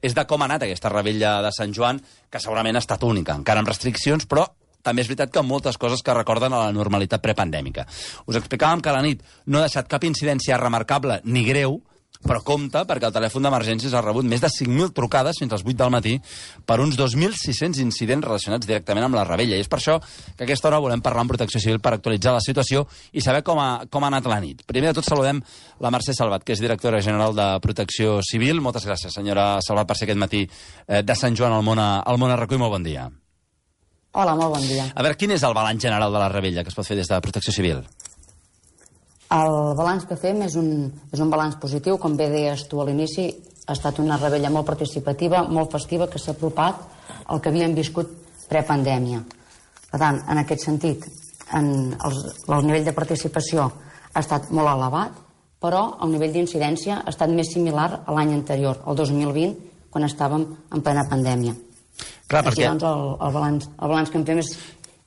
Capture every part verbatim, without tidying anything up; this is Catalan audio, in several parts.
és de com ha anat aquesta revetlla de Sant Joan, que segurament ha estat única, encara amb restriccions, però també és veritat que moltes coses que recorden a la normalitat prepandèmica. Us explicàvem que la nit no ha deixat cap incidència remarcable ni greu, però compte, perquè el telèfon d'emergències ha rebut més de cinc mil trucades fins als vuit del matí per uns dos mil sis-cents incidents relacionats directament amb la revetlla. I és per això que a aquesta hora volem parlar amb Protecció Civil per actualitzar la situació i saber com ha, com ha anat la nit. Primer de tot saludem la Mercè Salvat, que és directora general de Protecció Civil. Moltes gràcies, senyora Salvat, per ser aquest matí eh, de Sant Joan al món a, al món a RAC u i molt bon dia. Hola, molt bon dia. A veure, quin és el balanç general de la revetlla que es pot fer des de Protecció Civil? El balanç que fem és un, és un balanç positiu. Com bé deies tu a l'inici, ha estat una revetlla molt participativa, molt festiva, que s'ha apropat al que havíem viscut prepandèmia. Per tant, en aquest sentit, en els, el nivell de participació ha estat molt elevat, però el nivell d'incidència ha estat més similar a l'any anterior, el dos mil vint, quan estàvem en plena pandèmia. Clar, Aquí, perquè... doncs, el, el, balanç, el balanç que en fem és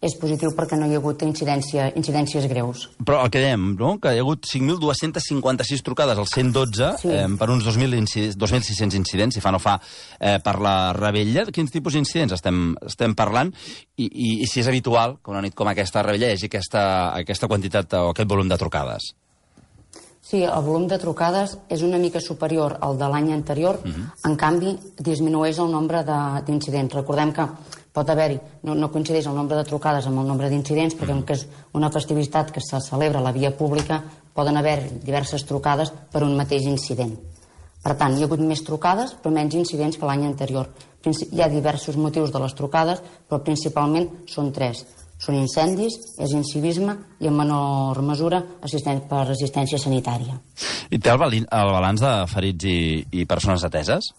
és positiu perquè no hi ha hagut incidència, incidències greus. Però el que dèiem, no? Que hi ha hagut cinc mil dues-centes cinquanta-sis trucades al cent dotze sí. eh, per uns dos mil sis-cents incidents, si fa no fa, eh, per la revetlla. Quins tipus d'incidents estem, estem parlant? I, i, I si és habitual que una nit com aquesta revetlla hi hagi aquesta, aquesta quantitat o aquest volum de trucades? Sí, el volum de trucades és una mica superior al de l'any anterior, uh-huh. En canvi, disminueix el nombre d'incidents. Recordem que pot haver-hi, no, no coincideix el nombre de trucades amb el nombre d'incidents, perquè com que és una festivitat que se celebra a la via pública, poden haver diverses trucades per un mateix incident. Per tant, hi ha hagut més trucades, però menys incidents que l'any anterior. Hi ha diversos motius de les trucades, però principalment són tres. Són incendis, és incivisme i en menor mesura assistent per assistència sanitària. I té el, el balanç de ferits i, i persones ateses?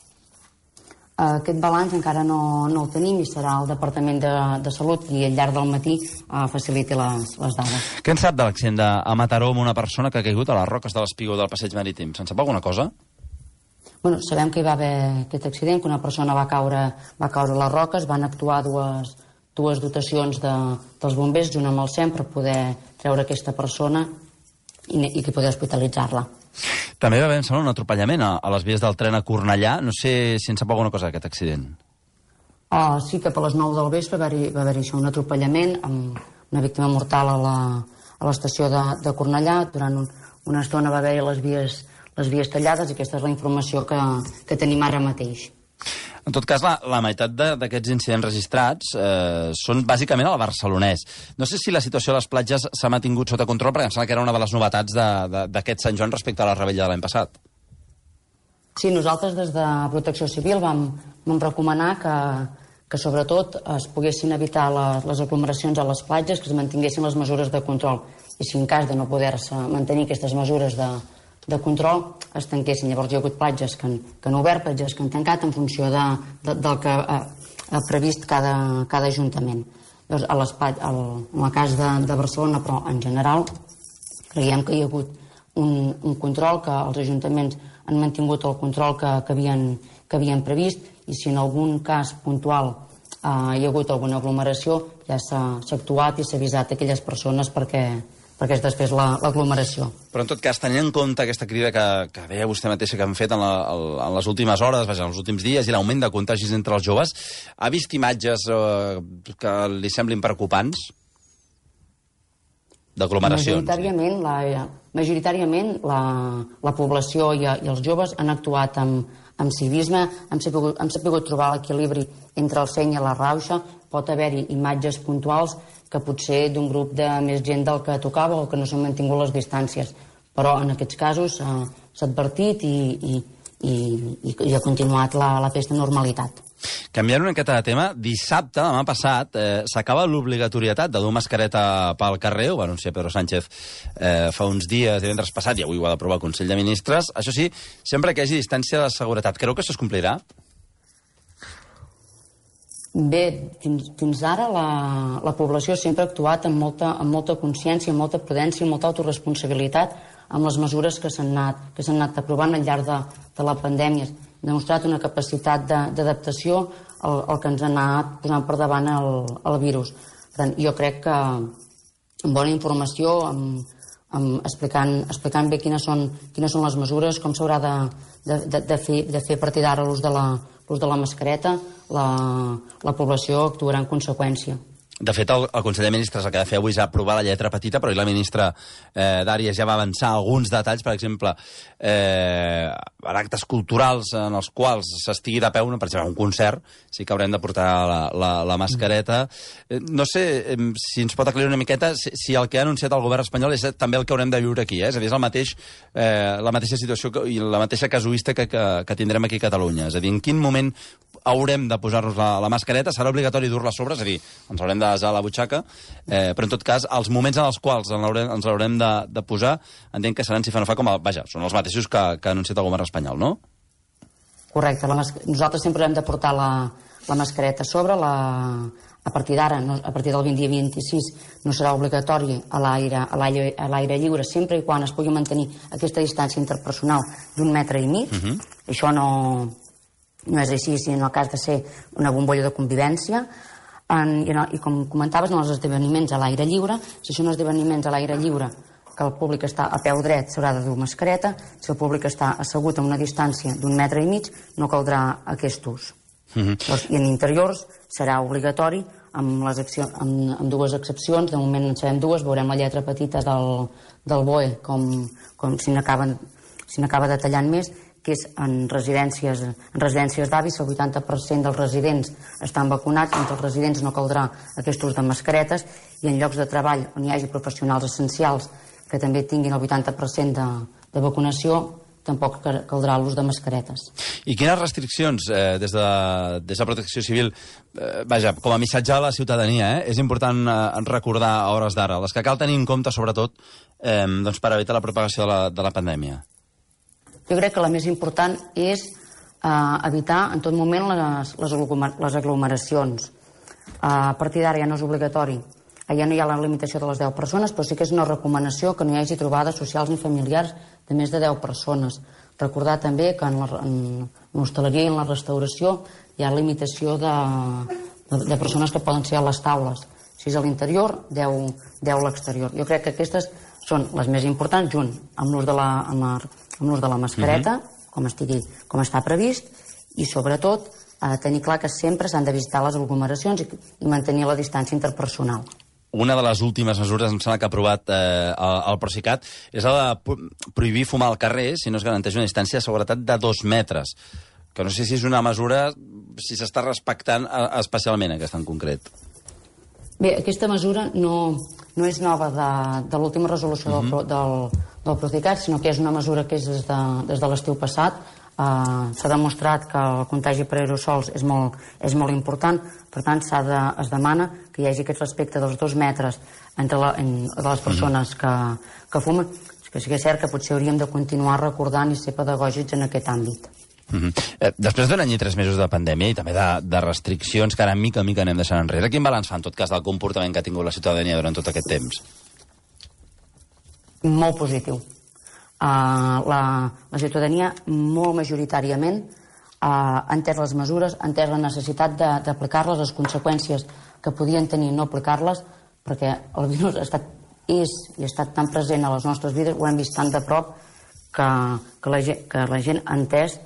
Aquest balanç encara no, no el tenim i serà el Departament de, de Salut i al llarg del matí uh, faciliti les, les dades. Què en sap de l'accident de, a Mataró amb una persona que ha caigut a les roques de l'espigó del passeig marítim? Se'n sap alguna cosa? Bueno, sabem que hi va haver aquest accident, que una persona va caure, va caure a les roques, van actuar dues, dues dotacions de, dels bombers junt amb el S E M per poder treure aquesta persona i, i que poder hospitalitzar-la. També va haver, em sembla, un atropellament a, a les vies del tren a Cornellà. No sé si en sap alguna cosa d'aquest accident. Oh, sí, que a les nou del vespre va haver-hi va haver un atropellament amb una víctima mortal a la, a l'estació de, de Cornellà. Durant un, una estona va haver-hi les vies, les vies tallades i aquesta és la informació que, que tenim ara mateix. En tot cas, la, la meitat d'aquests incidents registrats eh, són bàsicament al barcelonès. No sé si la situació a les platges s'ha mantingut sota control, perquè em sembla que era una de les novetats d'aquest Sant Joan respecte a la revetlla de l'any passat. Sí, nosaltres des de Protecció Civil vam, vam recomanar que, que sobretot es poguessin evitar les, les aglomeracions a les platges, que es mantinguessin les mesures de control. I si en cas de no poder-se mantenir aquestes mesures de de control es tanquessin. Llavors hi ha hagut platges que han, que han obert, platges que han tancat en funció de, de, del que ha, ha previst cada, cada ajuntament. Llavors, a l'espai, al, en el cas de, de Barcelona, però en general, creiem que hi ha hagut un, un control, que els ajuntaments han mantingut el control que, que, havien, que havien previst, i si en algun cas puntual eh, hi ha hagut alguna aglomeració, ja s'ha actuat i s'ha avisat a aquelles persones perquè perquè és després l'aglomeració. La, Però en tot cas, tenint en compte aquesta crida que, que deia vostè mateixa que han fet en, la, en les últimes hores, vaja, en els últims dies, i l'augment de contagis entre els joves, ha vist imatges eh, que li semblin preocupants? D'aglomeracions. Majoritàriament, la, majoritàriament la, la població i, i els joves han actuat amb, amb civisme, han sapigut, han sapigut trobar l'equilibri entre el seny i la rauxa. Pot haver-hi imatges puntuals que potser d'un grup de més gent del que tocava o que no s'han mantingut les distàncies. Però en aquests casos s'ha advertit i, i, i, i ha continuat la, la festa normalitat. Canviant una miqueta de tema, dissabte, demà passat, eh, s'acaba l'obligatorietat de dur mascareta pel carrer, ho va anunciar Pedro Sánchez eh, fa uns dies, divendres passat, i avui ho ha d'aprovar el Consell de Ministres. Això sí, sempre que hi hagi distància de seguretat. Creu que això es complirà? Bé, fins, fins ara la, la població sempre ha actuat amb molta, amb molta consciència, amb molta prudència, amb molta autoresponsabilitat amb les mesures que s'han anat, que s'han anat aprovant al llarg de, de la pandèmia. Ha demostrat una capacitat d'adaptació al, al que ens ha anat posant per davant el, el virus. Per tant, jo crec que amb bona informació, amb, amb explicant, explicant bé quines són, quines són les mesures, com s'haurà de, de, de, de, fer, de fer a partir d'ara l'ús de, la, l'ús de la mascareta, la, la població actuarà en conseqüència. De fet, el, el Consell de Ministres el que ha de fer avui és aprovar la lletra petita, però la ministra eh, d'Àrees ja va avançar alguns detalls, per exemple, eh, en actes culturals en els quals s'estigui de peu, per exemple, un concert, sí que haurem de portar la, la, la mascareta. Eh, no sé eh, si ens pot aclarir una miqueta si, si el que ha anunciat el govern espanyol és també el que haurem de viure aquí, eh? És a dir, és el mateix, eh, la mateixa situació que, i la mateixa casuística que, que tindrem aquí a Catalunya. És a dir, en quin moment haurem de posar-nos la, la mascareta, serà obligatori dur-la a sobre, és a dir, ens haurem de desar a la butxaca, eh, però en tot cas, els moments en els quals ens l'haurem, ens l'haurem de, de posar, entenc que seran si fa no fa com a... Vaja, són els mateixos que, que ha anunciat el govern espanyol, no? Correcte. La mas... Nosaltres sempre hem de portar la, la mascareta a sobre, la... a partir d'ara, no, a partir del vint dia vint-i-sis, no serà obligatori a l'aire a l'aire a l'aire lliure, sempre i quan es pugui mantenir aquesta distància interpersonal d'un metre i mig. Uh-huh. Això no, no és així, si en el cas de ser una bombolla de convivència. En, i, en, I com comentaves, en els esdeveniments a l'aire lliure, si són esdeveniments a l'aire lliure que el públic està a peu dret, s'haurà de dur mascareta. Si el públic està assegut a una distància d'un metre i mig, no caldrà aquest ús. Mm-hmm. Doncs, I en interiors serà obligatori amb, les accions, amb, amb dues excepcions. De moment en sabem dues, veurem la lletra petita del, del B O E com, com si n'acaben si n'acaba detallant més, que és en residències, en residències d'avis, el vuitanta per cent dels residents estan vacunats, entre els residents no caldrà aquest ús de mascaretes, i en llocs de treball on hi hagi professionals essencials que també tinguin el vuitanta per cent de, de vacunació, tampoc caldrà l'ús de mascaretes. I quines restriccions eh, des, de, des de Protecció Civil, eh, vaja, com a missatge a la ciutadania, eh, és important eh, recordar a hores d'ara, les que cal tenir en compte, sobretot, eh, doncs, per evitar la propagació de la, de la pandèmia? Jo crec que la més important és eh, evitar en tot moment les, les, les aglomeracions. Eh, a partir d'ara ja no és obligatori, ja no hi ha la limitació de les deu persones, però sí que és una recomanació que no hi hagi trobades socials ni familiars de més de deu persones. Recordar també que en l'hostaleria i en la restauració hi ha limitació de, de, de persones que poden ser a les taules. Si és a l'interior, deu a l'exterior. Jo crec que aquestes són les més importants, junt amb l'ús de la, amb la, amb l'ús de la mascareta, uh-huh. com, estigui, com està previst, i sobretot eh, tenir clar que sempre s'han de visitar les aglomeracions i, i mantenir la distància interpersonal. Una de les últimes mesures, em sembla que ha aprovat eh, el, el Procicat, és la de prohibir fumar al carrer si no es garanteix una distància de seguretat de dos metres. Que no sé si és una mesura, si s'està respectant especialment aquesta en concret. Bé, aquesta mesura no, no és nova de, de l'última resolució uh-huh. del, del, del Procicat, sinó que és una mesura que és des de, des de l'estiu passat. Uh, s'ha demostrat que el contagi per aerosols és molt, és molt important, per tant de, es demana que hi hagi aquest respecte dels dos metres entre la, en, de les persones que, que fumen, que sí que és cert que potser hauríem de continuar recordant i ser pedagògics en aquest àmbit. Uh-huh. eh, després d'un any i tres mesos de pandèmia i també de, de restriccions que ara mica en mica anem deixant enrere, quin balanç fa en tot cas del comportament que ha tingut la ciutadania durant tot aquest temps? Molt positiu. Uh, la, la ciutadania molt majoritàriament uh, ha entès les mesures, ha entès la necessitat d'aplicar-les, les conseqüències que podien tenir no aplicar-les, perquè el virus ha estat, és i ha estat tan present a les nostres vides, ho hem vist tan de prop que, que, la, gent, que la gent ha entès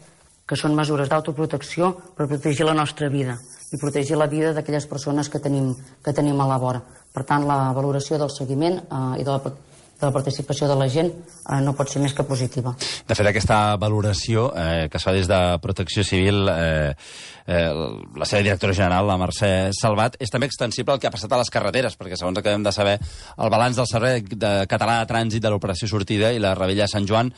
que són mesures d'autoprotecció per protegir la nostra vida i protegir la vida d'aquelles persones que tenim, que tenim a la vora. Per tant, la valoració del seguiment uh, i de la de la participació de la gent eh, no pot ser més que positiva. De fet, aquesta valoració eh, que es fa des de Protecció Civil, eh, eh, la seva directora general, la Mercè Salvat, és també extensible al que ha passat a les carreteres, perquè segons acabem de saber, el balanç del Servei de Català de Trànsit de l'Operació Sortida i la Revetlla de Sant Joan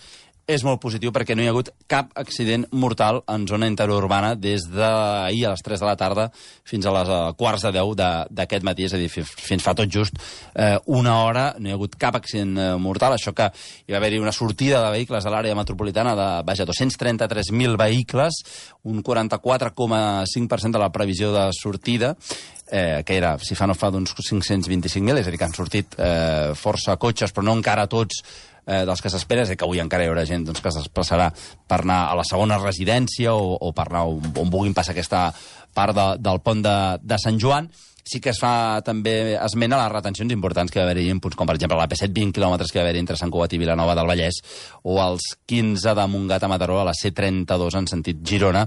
és molt positiu perquè no hi ha hagut cap accident mortal en zona interurbana des d'ahir a les tres de la tarda fins a les quarts de deu d'aquest matí, és a dir, fins fa tot just eh, una hora no hi ha hagut cap accident eh, mortal. Això que hi va haver-hi una sortida de vehicles a l'àrea metropolitana de, vaja, dos-cents trenta-tres mil vehicles, un quaranta-quatre coma cinc per cent de la previsió de sortida, eh, que era, si fa no fa, d'uns cinc-cents vint-i-cinc mil, és a dir, que han sortit eh, força cotxes, però no encara tots eh, dels que s'espera, és a dir, que avui encara hi haurà gent doncs, que es desplaçarà per anar a la segona residència o, o per anar on, on vulguin passar aquesta part de, del pont de, de Sant Joan. Sí que es fa també esment a les retencions importants que va haver-hi en punts com, per exemple, l'A P set, vint quilòmetres que va haver-hi entre Sant Cugat i Vilanova del Vallès, o els quinze de Montgat a Mataró, a la C trenta-dos en sentit Girona,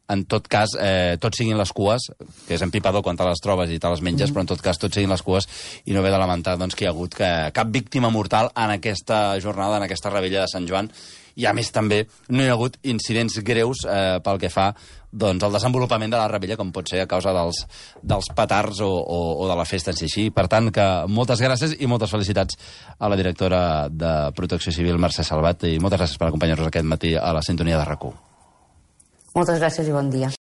en tot cas, eh, tot siguin les cues, que és empipador quan te les trobes i te les menges, mm. però en tot cas tot siguin les cues, i no ve de lamentar doncs, que hi ha hagut que, cap víctima mortal en aquesta jornada, en aquesta revetlla de Sant Joan, i a més també no hi ha hagut incidents greus eh, pel que fa doncs, al desenvolupament de la revetlla, com pot ser a causa dels, dels petards o, o, o de la festa en si així. Per tant, que moltes gràcies i moltes felicitats a la directora de Protecció Civil, Mercè Salvat, i moltes gràcies per acompanyar-nos aquest matí a la sintonia de RAC u. Moltes gràcies i bon dia.